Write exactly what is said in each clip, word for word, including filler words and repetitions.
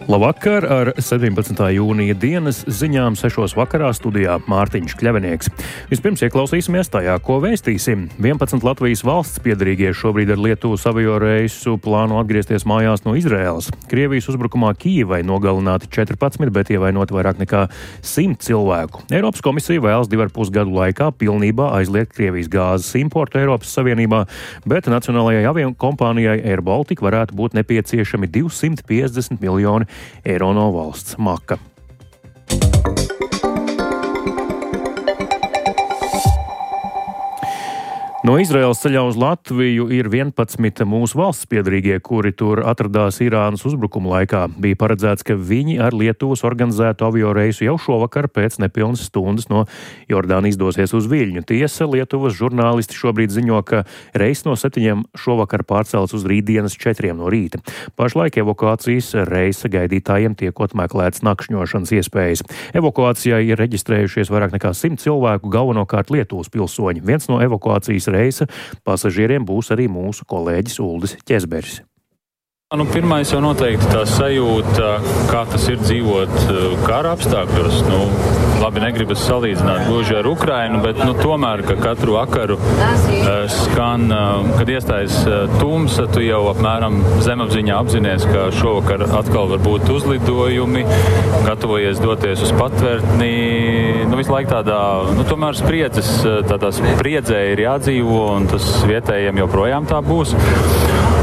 Labvakar, ar sedempadsmitā jūnija dienas ziņām sešos vakarā studijā Mārtiņš Kļavinieks. Vispirms ieklausīsimies tajā, ko vēstīsim. vienpadsmit Latvijas valsts piedarīgie šobrīd ar Lietuvas avio reisu plāno atgriezties mājās no Izraēlas. Krievijas uzbrukumā Kijivai nogalināti četrpadsmit, bet ievainoti vairāk nekā simt cilvēku. Eiropas komisija vēlas divu ar pus gadu laikā pilnībā aizliegt Krievijas gāzes importu Eiropas Savienībā, bet nacionālajai avio kompānijai Air Baltica varētu būt nepieciešami divsimt piecdesmit miljoni eiro no valsts maka. No Izraēlas ceļā uz Latviju ir vienpadsmit mūsu valsts piedarīgie, kuri tur atradās Irānas uzbrukuma laikā. Bija paredzēts, ka viņi ar Lietuvas organizētu avio reisu jau šovakar pēc nepilnas stundas no Jordānijas dosies uz Viļņu. Tiesa, Lietuvas žurnālisti šobrīd ziņo, ka reis no septiņiem šovakar pārcelts uz rītdienas četriem no rīta. Pašlaik evakuācijas reisa gaidītājiem tiekot meklēts nakšņošanas iespējas. Evakuācijai ir reģistrējušies vairāk nekā simt cilvēku, galvenokārt Lietuvas pilsoņi. Viens no evakuācijas reisa pasažieriem būs arī mūsu kolēģis Uldis Ķezberis. Nu, pirmais jau noteikti tā sajūta, kā tas ir dzīvot kara apstākļos. Nu, labi, negribas salīdzināt gluži ar Ukrainu, bet nu, tomēr, ka katru vakaru uh, skan, uh, kad iestājas uh, tumsa, tu jau apmēram zemapziņā apzinies, ka šovakar atkal var būt uzlidojumi, gatavojies doties uz patvērtni. Nu, visu laiku tādā, nu, tomēr spriedzes, tādā spriedzē ir jādzīvo, un tas vietējiem joprojām tā būs.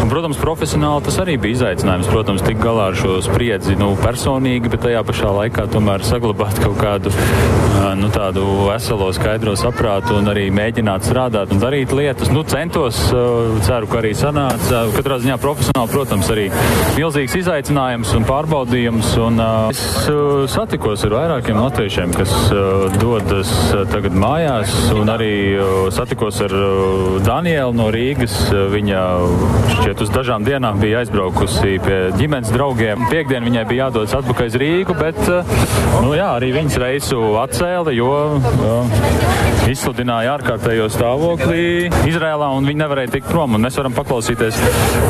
Un, protams, profesionāli tas arī bija izaicinājums, protams, tik galā ar šo spriedzi, nu, personīgi, bet tajā pašā laikā tomēr saglabāt kaut kādu, nu, tādu veselo, skaidro saprātu un arī mēģināt strādāt un darīt lietas. Nu, centos, ceru, ka arī sanāca. Katrā ziņā profesionāli, protams, arī milzīgs izaicinājums un pārbaudījums. Un es satikos ar vairākiem latviešiem, kas dodas tagad mājās, un arī satikos ar Danielu no Rīgas. Viņa šķiet uz dažām dienām bija aizbraukusi pie ģimenes draugiem. Piektdien viņai bija jādodas atpakaļ uz Rīgu, bet, nu jā, arī viņas reisu atcēla, jo uh, izsludināja ārkārtējo stāvoklī Izrēlā, un viņi nevarēja tikt prom, un mēs varam paklausīties,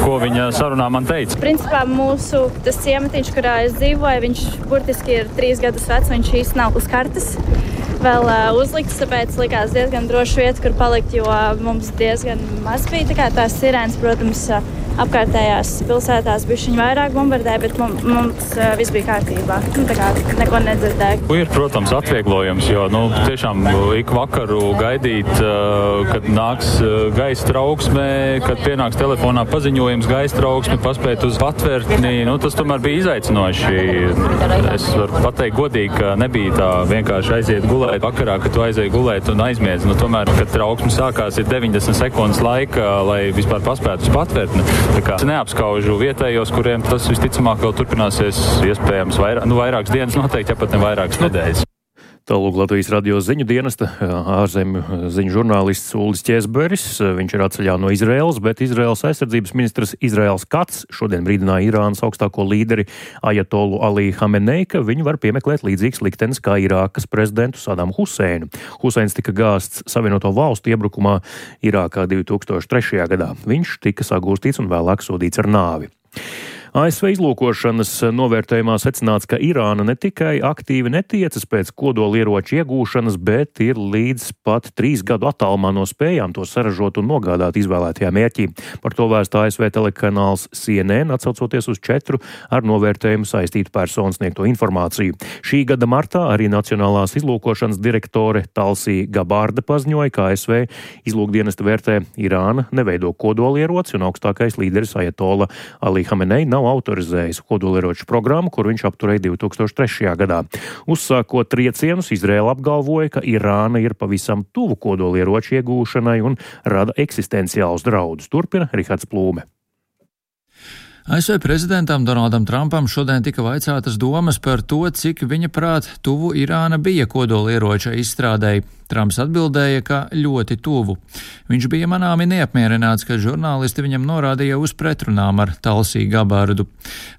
ko viņa sarunā man teica. Principā mūsu tas ciematiņš, kurā es dzīvoju, viņš burtiski ir trīs gadus vecs, viņš īsti nav uz kartes vēl uh, uzlikts, tāpēc likās diezgan droši vieta, kur palikt, jo mums diezgan maz bija. Tā kā tās sirēnas, protams, uh, apkārtējās pilsētās bišķiņ vairāk bombardē, bet mums, mums uh, viss bija kārtībā. Nu, tā kā neko nedzirdēju. Ir, protams, atvieglojums, jo, nu, tiešām ik vakaru gaidīt, uh, kad nāks uh, gaisa trauksme, kad pienāks telefonā paziņojums gaisa trauksme, paspēt uz patvērtni, nu, tas tomēr bija izaicinoši. Es varu pateikt godīgi, ka nebija tā vienkārši aiziet gulēt vakarā, kad tu aizēji gulēt un aizmiedz. Nu, tomēr, kad trauksme sākās, ir deviņdesmit sekundes laika, lai vispār paspētu uz patvērtni. Tā kā es neapskaužu vietējos, kuriem tas visticamāk vēl turpināsies iespējams vairāk, nu, vairākas dienas noteikti, ja pat ne vairākas nedēļas. Tālūk Latvijas radio ziņu dienesta ārzemju ziņu žurnālists Uldis Ķezberis. Viņš ir atceļā no Izraēlas, bet Izraēlas aizsardzības ministrs Izraēls Kats šodien brīdināja Irānas augstāko līderi Ajatolu Alī Hamenei, ka viņu var piemeklēt līdzīgs liktenis kā Irākas prezidentu Sadamu Huseinu. Huseins tika gāsts Savienoto valstu iebrukumā Irākā divi tūkstoši trešajā gadā. Viņš tika sagūstīts un vēlāk sodīts ar nāvi. A S V izlūkošanas novērtējumā secināts, ka Irāna ne tikai aktīvi netiecas pēc kodolieroču iegūšanas, bet ir līdz pat trīs gadu attālumā no spējām to saražot un nogādāt izvēlētajā mērķī. Par to vēst A S V telekanāls C N N, atsaucoties uz četru ar novērtējumu saistītu personu sniegto informāciju. Šī gada martā arī Nacionālās izlūkošanas direktore Talsī Gabarda paziņoja, ka A S V izlūkdienesta vērtē Irāna neveido kodolieroci un augstākais līderis Ajatola Alī Hamenei nav autorizējis kodolieroču programmu, kur viņš apturēja divi tūkstoši trešajā gadā. Uzsākot triecienus, Izraēla apgalvoja, ka Irāna ir pavisam tuvu kodolieroču iegūšanai un rada eksistenciālus draudus. Turpina Rihards Plūme. A S V prezidentam Donaldam Trumpam šodien tika vaicātas domas par to, cik viņa prāt tuvu Irāna bija kodolieroča izstrādēji. Trumps atbildēja, ka ļoti tuvu. Viņš bija manāmi neapmierināts, ka žurnālisti viņam norādīja uz pretrunām ar Talsī Gabardu.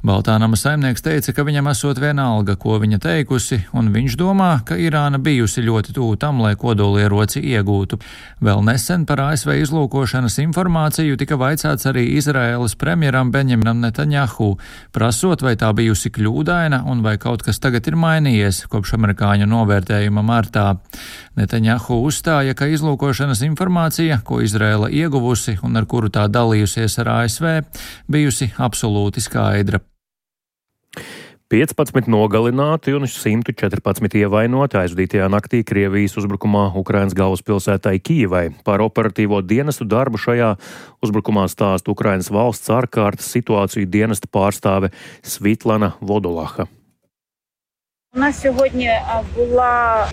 Baltānama saimnieks teica, ka viņam esot vienalga, ko viņa teikusi, un viņš domā, ka Irāna bijusi ļoti tuvu tam, lai kodolieroci iegūtu. Vēl nesen par A S V izlūkošanas informāciju tika vaicāts arī Izraēlas premjeram Benjaminam Netanjahu, prasot, vai tā bijusi kļūdaina un vai kaut kas tagad ir mainījies kopš amerikāņu novērtējuma martā. Netanjahu uzstāja, ka izlūkošanas informācija, ko Izraēla ieguvusi un ar kuru tā dalījusies ar A S V, bijusi absolūti skaidra. piecpadsmit nogalināti un simt četrpadsmit ievainoti aizvadītajā naktī Krievijas uzbrukumā Ukrainas galvaspilsētai Kijivai. Par operatīvo dienestu darbu šajā uzbrukumā stāsta Ukrainas valsts ārkārtas situāciju dienesta pārstāve Svitlana Vodolaha.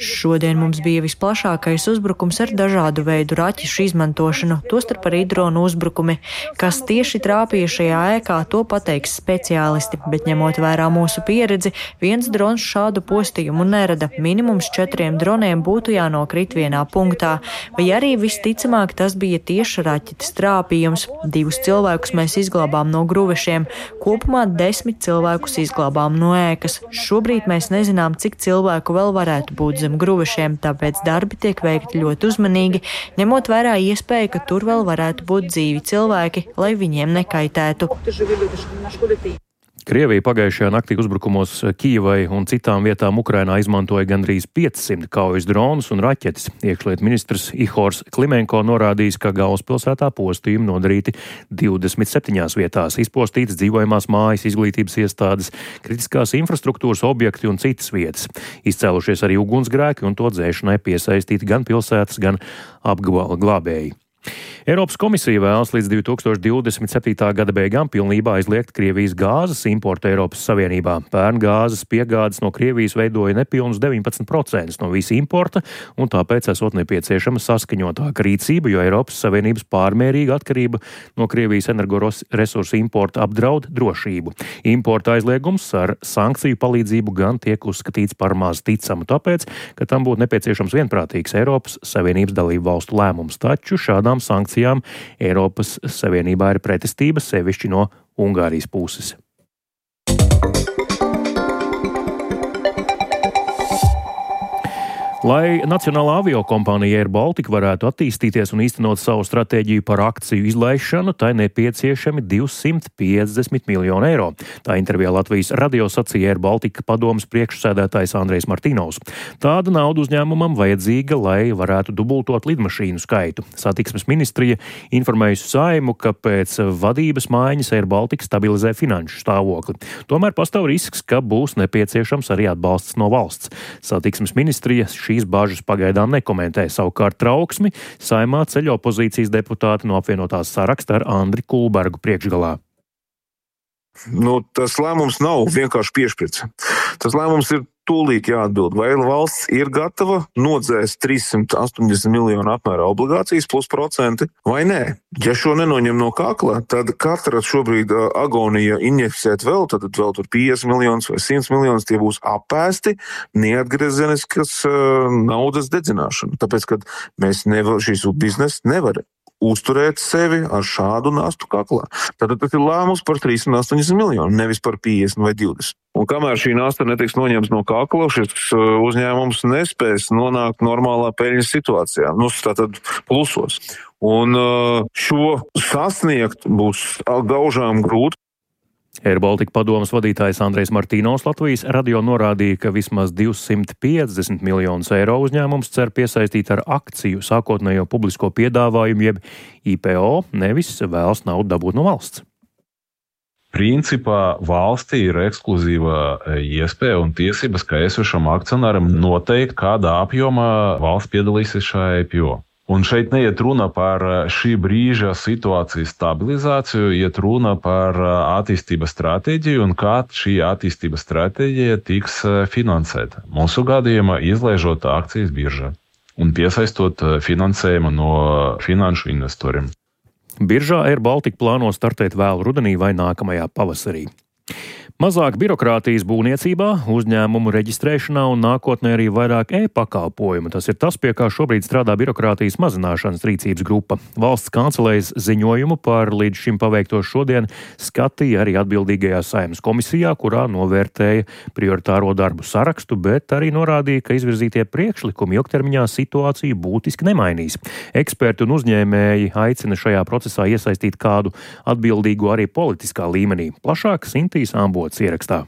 Šodien mums bija visplašākais uzbrukums ar dažādu veidu raķešu izmantošanu, tostarp arī dronu uzbrukumi. Kas tieši trāpīja šajā ēkā, to pateiks speciālisti, bet ņemot vērā mūsu pieredzi, viens drons šādu postījumu nerada. Minimums četriem droniem būtu jānokrit vienā punktā, vai arī visticamāk tas bija tieši raķetes trāpījums. Divus cilvēkus mēs izglābām no gruvešiem, kopumā desmit cilvēkus izglābām no ēkas. Šobrīd mēs nezinām, Zinām, cik cilvēku vēl varētu būt zem gruvešiem, tāpēc darbi tiek veikti ļoti uzmanīgi, ņemot vērā iespēju, ka tur vēl varētu būt dzīvi cilvēki, lai viņiem nekaitētu. Krievija pagājušajā naktī uzbrukumos Kijivai un citām vietām Ukrainā izmantoja gandrīz piecsimt kaujas dronus un raķetes. Iekšlietu ministrs Ihors Klimenko norādījis, ka galvaspilsētā postījumi nodarīti divdesmit septiņās vietās, izpostītas dzīvojamās mājas, izglītības iestādes, kritiskās infrastruktūras objekti un citas vietas. Izcēlušies arī ugunsgrēki un to dzēšanai piesaistīti gan pilsētas, gan apglābēji. Eiropas komisija vēlas līdz divi tūkstoši divdesmit septītā gada beigām pilnībā aizliegt Krievijas gāzes importu Eiropas Savienībā. Pērn gāzes piegādes no Krievijas veidoja nepilnus deviņpadsmit procentus no visa importa, un tāpēc esot nepieciešama saskaņotāka rīcība, jo Eiropas Savienības pārmērīga atkarība no Krievijas energoresursu importa apdraud drošību. Importa aizliegums ar sankciju palīdzību gan tiek uzskatīts par maz ticamu, tāpēc, ka tam būtu nepieciešams vienprātīgs Eiropas Savienības dalību valstu lēmums, taču šādām sankcijām Eiropas Savienībā ir pretestība, sevišķi no Ungārijas puses. Lai Nacionālā aviokompānija Air Baltica varētu attīstīties un īstenot savu stratēģiju par akciju izlaišanu, tai nepieciešami divsimt piecdesmit miljoni eiro. Tā intervijā Latvijas radio sacīja Air Baltica padomes priekšsēdētājs Andrejs Martīnovs. Tāda nauda uzņēmumam vajadzīga, lai varētu dubultot lidmašīnu skaitu. Satiksmes ministrija informējusi Saeimu, ka pēc vadības maiņas Air Baltica stabilizē finanšu stāvokli. Tomēr pastāv risks, ka būs nepieciešams arī atbalsts no valsts. Satiksmes ministrija šīs bāžas pagaidām nekomentē. Savukārt trauksmi Saeimā ceļ opozīcijas deputāti no apvienotās saraksta ar Andri Kulbergu priekšgalā. Nu, tas lēmums nav vienkārši piešķirts. Tas lēmums ir tūlīt jāatbild, vai valsts ir gatava nodzēst trīssimt astoņdesmit miljonu apmērā obligācijas plus procenti, vai nē. Ja šo nenoņem no kakla, tad katra šobrīd agonija injekcēt vēl, tad vēl tur piecdesmit miljonus vai simt miljonus, tie būs apēsti neatgriezeniskas naudas dedzināšana. Tāpēc, ka mēs nevar, šīs biznesa nevar uzturēt sevi ar šādu nastu kaklā. Tātad tas ir lēmums par trīssimt astoņdesmit miljonu, nevis par piecdesmit vai divdesmit. Un kamēr šī nasta netiks noņemts no kakla, šis uzņēmums nespēs nonākt normālā peļņas situācijā, nu, tātad plusos. Un šo sasniegt būs gaužām grūti. Air Baltica padomes vadītājs Andrejs Martīnovs Latvijas radio norādīja, ka vismaz divsimt piecdesmit miljonus eiro uzņēmums cer piesaistīt ar akciju sākotnējo publisko piedāvājumu, jeb I P O, nevis vēlas naudu dabūt no valsts. Principā valstī ir ekskluzīva iespēja un tiesības, ka esošam akcionāram noteikt, kādā apjomā valsts piedalīsies šajā I P O. Un šeit neiet runa par šī brīža situācijas stabilizāciju, iet runa par attīstības stratēģiju un kā šī attīstības stratēģija tiks finansēta. Mūsu gadījumā izlaižot akcijas biržā un piesaistot finansējumu no finanšu investoriem. Biržā Air Baltica plāno startēt vēl rudenī vai nākamajā pavasarī. Mazāk birokrātijas būvniecībā, uzņēmumu reģistrēšanā un nākotnē arī vairāk e-pakalpojumu. Tas ir tas, pie kā šobrīd strādā birokrātijas mazināšanas rīcības grupa. Valsts kancelējas ziņojumu par līdz šim paveikto šodien skatīja arī atbildīgajā Saeimas komisijā, kurā novērtēja prioritāro darbu sarakstu, bet arī norādīja, ka izvirzītie priekšlikumi ilgtermiņā situāciju būtiski nemainīs. Eksperti un uzņēmēji aicina šajā procesā iesaistīt kādu atbildīgu arī politiskā līmenī. Plašāk Sintīs Ambots ierakstā.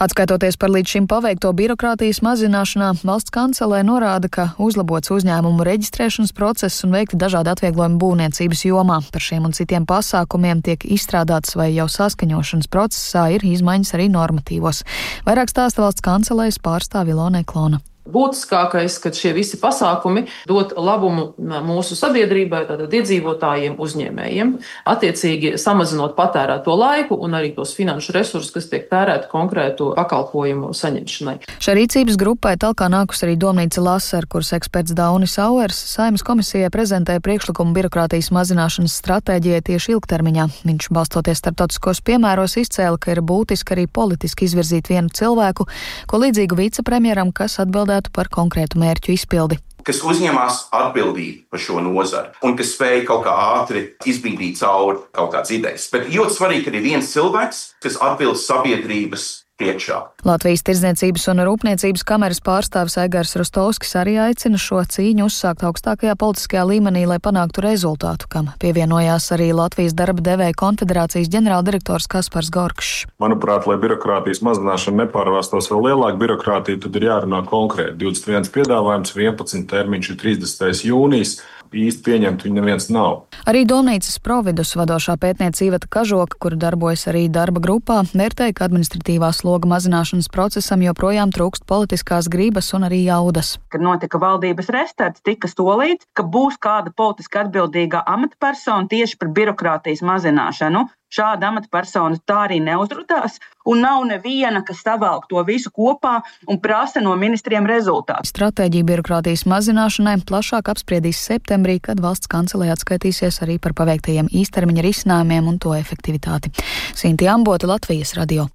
Atskaitoties par līdz šim paveikto birokrātijas mazināšanā, valsts kancelē norāda, ka uzlabots uzņēmumu reģistrēšanas process un veikti dažādi atvieglojumi būvniecības jomā. Par šiem un citiem pasākumiem tiek izstrādāts vai jau saskaņošanas procesā ir izmaiņas arī normatīvos. Vairāk stāsta valsts kancelējas pārstāve Ilona Klona. Būtiskākais, ka šie visi pasākumi dot labumu mūsu sabiedrībai, tātad iedzīvotājiem, uzņēmējiem, attiecīgi samazinot patērēto laiku un arī tos finanšu resursus, kas tiek tērēti konkrētu pakalpojumu saņemšanai. Šai rīcības grupai talkā nākus arī domnīca Laser, kuras eksperts Daunis Auers Saeimas komisijai prezentēja priekšlikumu birokrātijas mazināšanas stratēģijai tieši ilgtermiņā. Viņš, balstoties starptautiskos piemēros, izcēla, ka ir būtiski arī politiski izvirzīt vienu cilvēku, ko līdzīgu vicepremjeram, kas atbildētu par konkrētu mērķu izpildi. Kas uzņemās atbildību par šo nozari un kas spēja kaut kā ātri izbīdīt cauri kaut kādas idejas. Bet ļoti svarīgi, ka ir viens cilvēks, kas atbilst sabiedrības priekšā. Latvijas Tirdzniecības un Rūpniecības kameras pārstāvis Aigars Rostovskis arī aicina šo cīņu uzsākt augstākajā politiskajā līmenī, lai panāktu rezultātu, kam pievienojās arī Latvijas darba devēja konfederācijas ģenerāldirektors Kaspars Gorkšs. Manuprāt, lai birokrātijas mazināšana nepārvērstos vēl lielāku birokrātiju, tad ir jārunā konkrēti. divdesmit viens piedāvājums, vienpadsmit termiņš ir trīsdesmitais jūnijas. Īsti pieņemt viņu neviens nav. Arī domnīcas Providus vadošā pētniece Iveta Kažoka, kura darbojas arī darba grupā, vērtēja, ka administratīvā sloga mazināšanas procesam joprojām trūkst politiskās gribas un arī jaudas. Kad notika valdības restarts, tika solīts, ka būs kāda politiski atbildīgā amatpersona tieši par birokrātijas mazināšanu. Šāda amatpersona tā arī neuzrādās, un nav neviena, kas savalk to visu kopā un prasa no ministriem rezultātu. Stratēģija birokrātijas mazināšanai plašāk apspriedīs septembrī, kad valsts kancelē atskaitīsies arī par paveiktajiem īstermiņa risinājumiem un to efektivitāti. Sinti Ambota, Latvijas radio.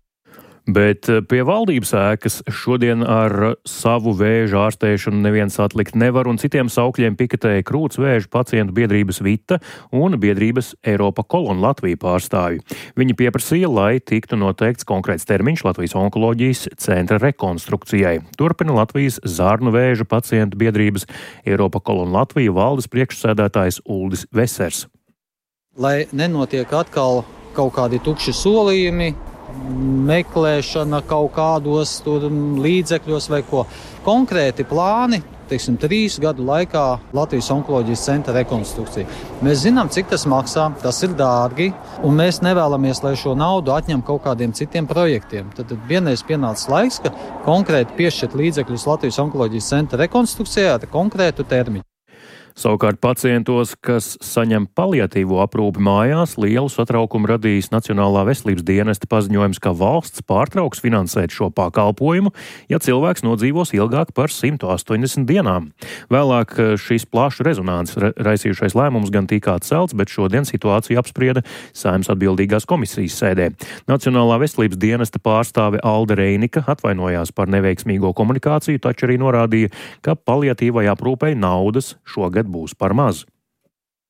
Bet pie valdības ēkas šodien ar savu vēža ārstēšanu neviens atlikt nevar, un citiem saukļiem piketēja krūts vēža pacientu biedrības Vita un biedrības Eiropa Kolon Latvija pārstāvji. Viņi pieprasīja, lai tiktu noteikts konkrēts termiņš Latvijas onkoloģijas centra rekonstrukcijai. Turpina Latvijas zarnu vēža pacientu biedrības Eiropa Kolon Latvija valdes priekšsēdētājs Uldis Vesers. Lai nenotiek atkal kaut kādi tukši solījumi, meklēšana kaut kādos tur līdzekļos vai ko. Konkrēti plāni, teiksim, trīs gadu laikā Latvijas onkoloģijas centra rekonstrukcija. Mēs zinām, cik tas maksā, tas ir dārgi, un mēs nevēlamies, lai šo naudu atņem kaut kādiem citiem projektiem. Tad vienreiz pienācis laiks, ka konkrēti piešķirt līdzekļus Latvijas onkoloģijas centra rekonstrukcijā ar konkrētu termiņu. Savukārt pacientos, kas saņem paliatīvo aprūpi mājās, lielu satraukumu radījis Nacionālā veselības dienesta paziņojums, ka valsts pārtrauks finansēt šo pakalpojumu, ja cilvēks nodzīvos ilgāk par simt astoņdesmit dienām. Vēlāk šīs plašu rezonances raisījušais lēmums gan tika atcelts, bet šodien situāciju apsprieda Saeimas atbildīgās komisijas sēdē. Nacionālā veselības dienesta pārstāve Alde Reinika atvainojās par neveiksmīgo komunikāciju, taču arī norādīja, ka paliatīvai aprūpei naudas šogad būs par maz.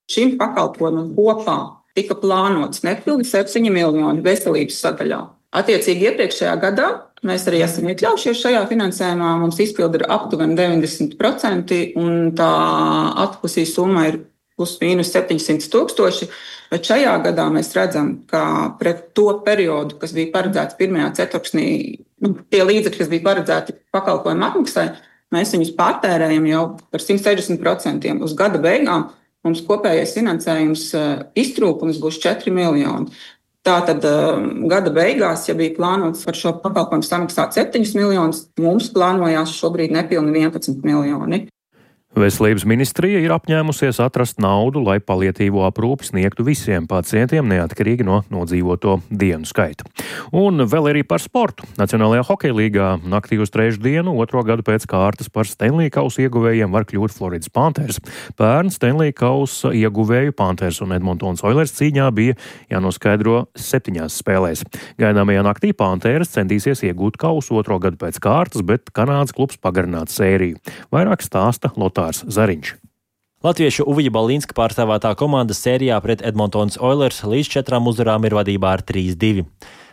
Šim pakalpojumam kopā tika plānots nepilni septiņi miljoni veselības sadaļā. Attiecīgi iepriekšējā gadā mēs arī esam iekļaujušies šajā finansējumā. Mums izpildi ir aptuveni deviņdesmit procenti un tā atpusī summa ir plus mīnus septiņsimt tūkstoši. Bet šajā gadā mēs redzam, ka pret to periodu, kas bija paredzēts pirmajā ceturksnī, nu, tie līdzekļi, kas bija paredzēti pakalpojumu apmaksai, mēs viņus pārtērējam jau par simt sešdesmit procentiem. Uz gada beigām mums kopējais finansējums iztrūkums būs četri miljoni. Tātad gada beigās, ja bija plānots par šo pakalpojumu samaksāt septiņus miljonus, mums plānojās šobrīd nepilni vienpadsmit miljoni. Veselības ministrija ir apņēmusies atrast naudu, lai paliatīvo aprūpi sniegtu visiem pacientiem, neatkarīgi no nodzīvoto dienu skaita. Un vēl arī par sportu. Nacionālajā hokeja līgā naktī uz trešdienu, otro gadu pēc kārtas par Stanley Kausa ieguvējiem var kļūt Floridas Panthers. Pērn Stanley Kausa ieguvēju Panthers un Edmontons Oilers cīņā bija jānoskaidro septiņās spēlēs. Gaidāmajā naktī Panthers centīsies iegūt kausu otro gadu pēc kārtas, bet Kanādas klubs pagarināt sēriju. Vairāk stāsta Lotārs Zariņš. Latviešu Uvija Balīnska pārstāvētā komanda sērijā pret Edmontons Oilers līdz četrām uzvarām ir vadībā ar trīs divi.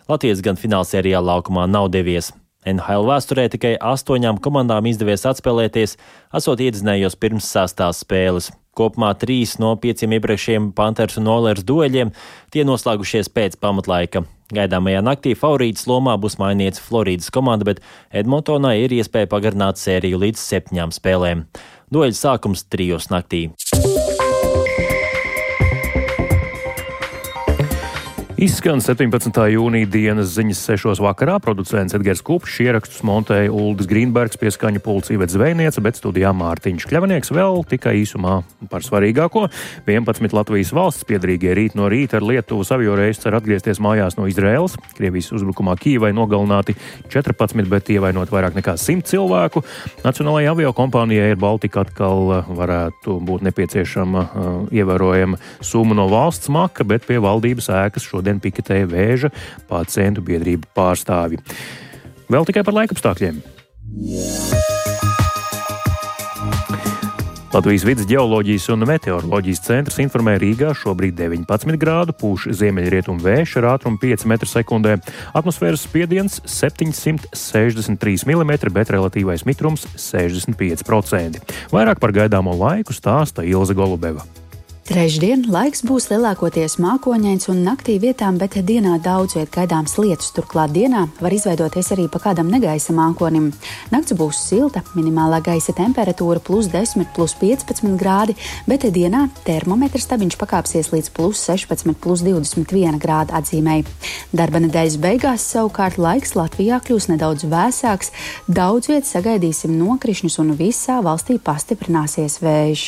Latvijas gan finālsērijā laukumā nav devies. N H L vēsturē tikai astoņām komandām izdevies atspēlēties, esot iedzinējos pirms sastās spēles. Kopumā trīs no pieciem iepriekšējiem Panthers un Oilers dueļiem tie noslēgušies pēc pamatlaika. Gaidāmajā naktī favorītas lomā būs mainīts Floridas komanda, bet Edmontonā ir iespēja pagarināt sēriju līdz septiņām spēlēm. Dueļa sākums trijos naktī. Izskan septiņpadsmitā jūnija dienas ziņas sešos vakarā. Producents Edgars Kupčs, ierakstus montēja Uldis Grīnbergs, pie skaņa pults Iveta Zvejniece, bet studijā Mārtiņš Kļavnieks. Vēl tikai īsumā par svarīgāko. vienpadsmit Latvijas valsts piederīgie rīt no rīta ar Lietuvas avioreisu cer atgriezties mājās no Izraēlas. Krievijas uzbrukumā Kīvai nogalināti četrpadsmit, bet ievainot vairāk nekā simt cilvēku. Nacionālajai aviokompānijai Air Baltica atkal varētu būt nepieciešama uh, ievērojama summa no valsts maka, bet pie valdības ēkas šodien piketēja Vēža pacientu biedrību pārstāvji. Vēl tikai par laikapstākļiem. Latvijas vides ģeoloģijas un meteoroloģijas centrs informē Rīgā šobrīd deviņpadsmit grādu, pūš ziemeļrietumu vējš ar ātrumu pieci metri sekundē, atmosfēras spiediens septiņsimt sešdesmit trīs milimetri, bet relatīvais mitrums sešdesmit pieci procenti. Vairāk par gaidāmo laiku stāsta Ilze Golubeva. Trešdien laiks būs lielākoties mākoņains un naktī vietām, bet dienā daudz viet gaidāms lietus. Turklāt dienā var izveidoties arī pa kādam negaisa mākonim. Nakts būs silta, minimālā gaisa temperatūra plus desmit, plus piecpadsmit grādi, bet dienā termometra stabiņš pakāpsies līdz plus sešpadsmit, plus divdesmit viena grāda atzīmei. Darba nedēļas beigās savukārt laiks Latvijā kļūs nedaudz vēsāks, daudz viet sagaidīsim nokrišņus un visā valstī pastiprināsies vējš.